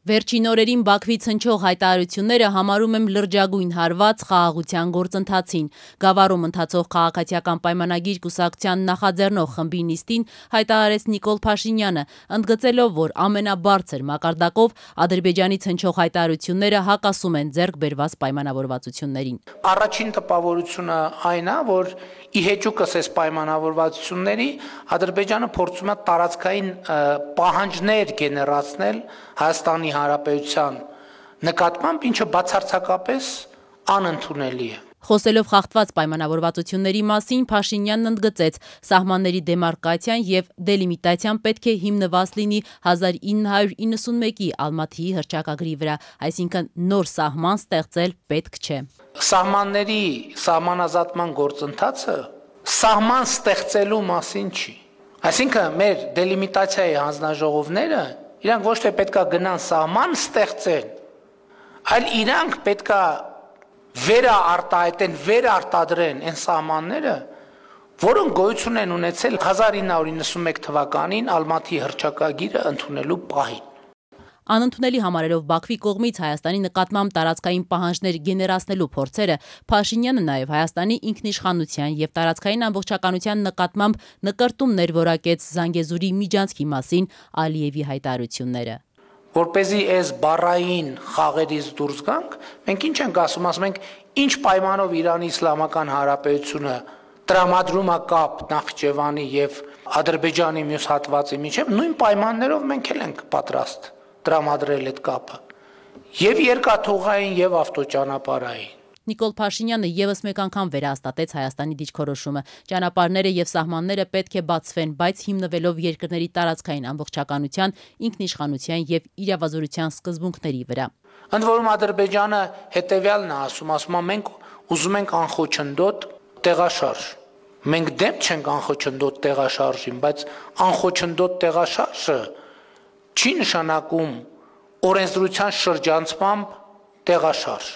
Վերջին օրերին Բաքվից հնչող հայտարարությունները համարում եմ լրջագույն հարված խաղաղության գործընթացին։ Գավառում ընթացող քաղաքացիական պայմանագիր կուսակցության նախաձեռնող խմբի նիստին հայտարարեց Նիկոլ Փաշինյանը, ընդգծելով, որ ամենաբարձր մակարդակով Ադրբեջանից հնչող հայտարարությունները հակասում են ձեռք բերված պայմանավորվածություններին։ Առաջին տպավորությունը այն է, որ ի հեճուկս այս պայմանավորվածությունների Ադրբեջանը փորձում է տարածքային պահանջներ գեներացնել Հայաստանի Հանրապետության նկատմամբ, ինչը բացարձակապես անընդունելի է։ Խոսելով խախտված պայմանավորվածությունների մասին, Փաշինյանն ընդգծեց, սահմանների դեմարկացիան եւ դելիմիտացիան պետք է հիմնված լինի 1991-ի Ալմաթիի հռչակագրի վրա, այսինքն նոր սահման ստեղծել պետք չէ։ Սահմանների սահմանազատման գործընթացը սահման ստեղծելու մասին չի։ Այսինքն մեր դելիմիտացիայի հանձնաժողովները իրանք ոչ թե պետքա գնան սահման ստեղծեն, այլ իրանք պետքա վերարտահայտեն, վերարտադրեն այն սահմանները, որոնք գոյություն են ունեցել 1991 թվականին Ալմաթիի հռչակագիրը ընդունելու պահին։ Անընդունելի համարելով Բաքվի կողմից Հայաստանի նկատմամբ տարածքային պահանջներ գեներացնելու փորձերը, Փաշինյանը նաև Հայաստանի ինքնիշխանության եւ տարածքային ամբողջականության նկատմամբ նկրտումներ որակեց Զանգեզուրի միջանցքի մասին Ալիևի հայտարարությունները։ Որպեսզի այս բառային խաղերից դուրս գանք, մենք ինչ ենք ասում ենք, ինչ պայմանով Իրանի Իսլամական Հանրապետությունը տրամադրում է կապ Նախիջևանի եւ Ադրբեջանի մյուս հատվածի միջև, նույն պայմաններով մենք էլ ենք պատրաստ տրամադրել այդ կապը եւ երկաթուղային եւ ավտոճանապարհային։ Նիկոլ Փաշինյանը եւս մեկ անգամ վերահաստատեց Հայաստանի դիրքորոշումը։ Ճանապարհները եւ սահմանները պետք է բացվեն, բայց հիմնվելով երկրների տարածքային ամբողջականության, ինքնիշխանության եւ իրավազորության սկզբունքների վրա։ Ընդ որում Ադրբեջանը հետեւյալն է ասում մենք ուզում ենք անխոչնդոտ տեղաշարժ։ Մենք դեմ չենք անխոչնդոտ տեղաշարժին, բայց անխոչնդոտ տեղաշարժը չի նշանակում օրենսդրության շրջանցմամբ տեղաշարժ։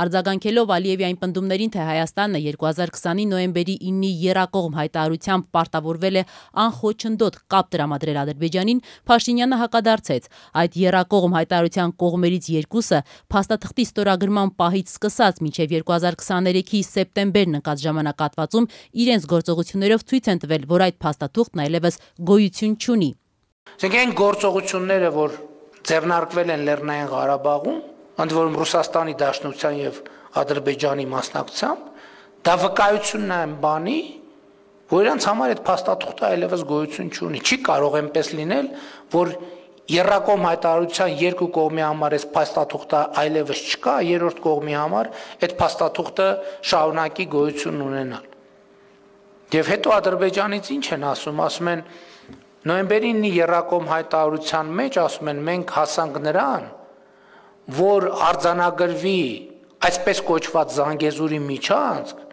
Արձագանքելով Ալիևի այն պնդումներին, թե Հայաստանը 2020-ի նոյեմբերի 9-ի եռակողմ հայտարարությամբ պարտավորվել է անխոչնդոտ կապ տրամադրել Ադրբեջանին, Փաշինյանը հակադարձեց. այդ եռակողմ հայտարարության կողմերից երկուսը փաստաթղթի ստորագրման պահից սկսած մինչև 2023-ի սեպտեմբերն ընկած ժամանակահատվածում իրենց գործողություններով ցույց են տվել, որ այդ փաստաթուղթն այլևս գոյություն չունի։ Այսինքն այն գործողությունները, որ ձեռնարկվել են Լեռնային Ղարաբաղում, ընդ որում Ռուսաստանի Դաշնության եւ Ադրբեջանի մասնակցությամբ, դա վկայությունն է այն բանի, որ իրանց համար այդ փաստաթուղթը այլևս գոյություն չունի։ Չի կարող այնպես լինել, որ եռակողմ հայտարարության երկու կողմի համար այս փաստաթուղթը այլևս չկա, երրորդ կողմի համար այդ փաստաթուղթը շարունակի գոյություն ունենալ։ Եվ հետո Ադրբեջանից ինչ են ասում են նոյեմբերի 9-ի եռակողմ հայտարարության մեջ ասում են մենք հասանք նրան, որ արձանագրվի այսպես կոչված Զանգեզուրի միջանցք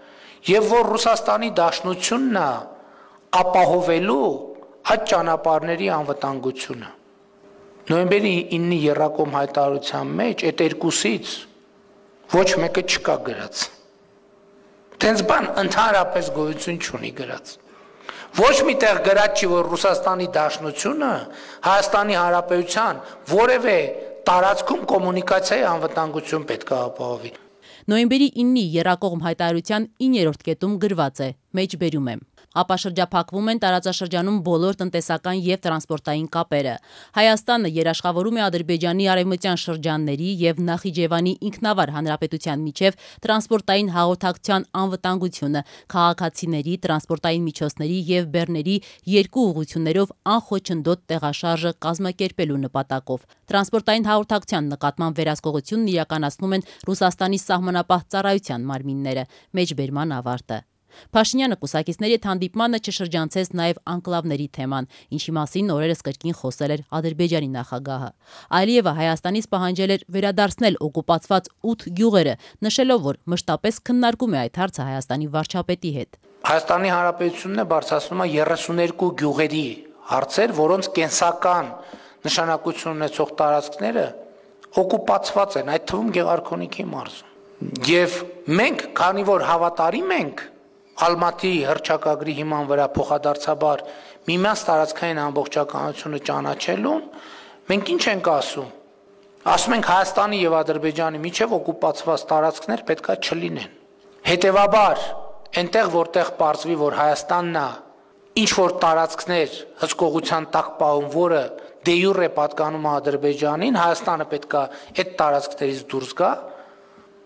եւ որ Ռուսաստանի Դաշնությունն է ապահովելու այդ ճանապարհների անվտանգությունը։ Նոյեմբերի 9-ի եռակողմ հայտարարության մեջ այդ երկուսից ոչ մեկը չկա գրած։ Տենց բան ընդհանրապես գոյություն չունի գրած։ Ոչ միտեղ գրած չի, որ Ռուսաստանի Դաշնությունը Հայաստանի Հանրապետության որևէ տարածքում կոմունիկացիայի անվտանգություն պետք է ապահովի։ Նոյեմբերի 9-ի եռակողմ հայտարարության 9-րդ կետում գրված է. մեջբերում եմ. ապա շրջափակվում են տարածաշրջանում բոլոր տնտեսական եւ տրանսպորտային կապերը։ Հայաստանը երաշխավորում է Ադրբեջանի արևմտյան շրջանների եւ Նախիջևանի ինքնավար հանրապետության միջև տրանսպորտային հաղորդակցության անվտանգությունը, քաղաքացիների, տրանսպորտային միջոցների եւ բեռների երկու ուղղություններով անխոչնդոտ տեղաշարժը կազմակերպելու նպատակով։ Տրանսպորտային հաղորդակցության նկատմամբ վերահսկողությունն իրականացնում են Ռուսաստանի սահմանապահ ծառայության մարմինները։ Մեջբերման ավարտը։ Փաշինյանը կուսակիցների հետ հանդիպմանը չշրջանցեց նաև անկլավների թեման, ինչի մասին օրերս կրկին խոսել էր Ադրբեջանի նախագահը։ Ալիևը Հայաստանից պահանջել էր վերադարձնել օկուպացված 8 գյուղերը, նշելով, որ մշտապես քննարկում է այդ հարցը Հայաստանի վարչապետի հետ։ Հայաստանի Հանրապետությունն է բարձրացնում է 32 գյուղերի հարցեր, որոնց կենսական նշանակություն ունեցող տարածքները օկուպացված են, այդ թվում Գեղարքոնիքի մարզում։ Եվ մենք, քանի որ հավատարիմ ենք Ալմաթիի հռչակագրի հիման վրա փոխադարձաբար միմյանց տարածքային ամբողջականությունը ճանաչելուն, մենք ինչ ենք ասում, Ասում ենք Հայաստանի եւ Ադրբեջանի միջև օկուպացված տարածքներ պետքա չլինեն։ Հետևաբար, այնտեղ որտեղ պարզվի, որ Հայաստանն է ինչ որ տարածքներ հսկողության տակ պահում, որը դե յուրե պատկանում է Ադրբեջանին, Հայաստանը պետքա այդ տարածքներից դուրս գա,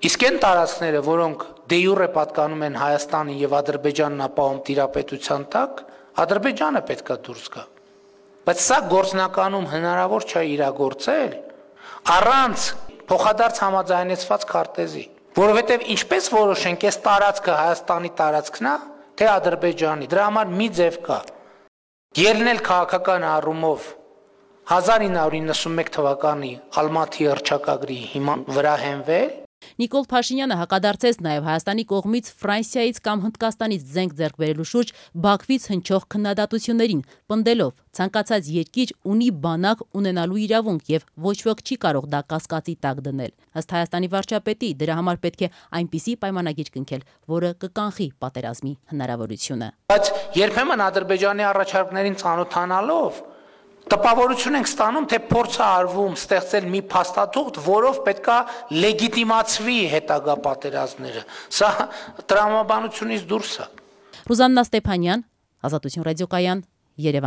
իսկ այն տարածքները, որոնք դե յուրե պատկանում են Հայաստանին եւ Ադրբեջանն է պահում տիրապետության տակ, Ադրբեջանը պետքա դուրս գա։ Բայց սա գործնականում հնարավոր չէ իրագործել առանց փոխադարձ համաձայնեցված քարտեզի, որովհետև ինչպես որոշենք, այս տարածքը Հայաստանի տարածքն է, թե Ադրբեջանի, դրա համար մի ձև կա։ Ելնել քաղաքական առումով 1991 թվականի Ալմաթի հռչակագրի վրա հենվել։ Նիկոլ Փաշինյանը հակադարձեց նաև Հայաստանի կողմից Ֆրանսիայից կամ Հնդկաստանից զենք ձեռք բերելու շուրջ Բաքվից հնչող քննադատություններին, պնդելով ցանկացած երկիր ունի բանակ ունենալու իրավունք եւ ոչ ոք չի կարող դա կասկածի տակ դնել։ Ըստ Հայաստանի վարչապետի, դրա համար պետք է այնպիսի պայմանագիր կնքել, որը կկանխի պատերազմի հնարավորությունը։ Բայց երբեմն Ադրբեջանի առաջարկներին ծանոթանալով տպավորություն ենք ստանում, թե փորձ է արվում ստեղծել մի փաստաթուղթ, որով պետքա լեգիտիմացվի հետագա պատերազմները։ Սա տրամաբանությունից դուրս է։ Ռուզաննա Ստեփանյան, Ազատություն ռադիոկայան, Երևան։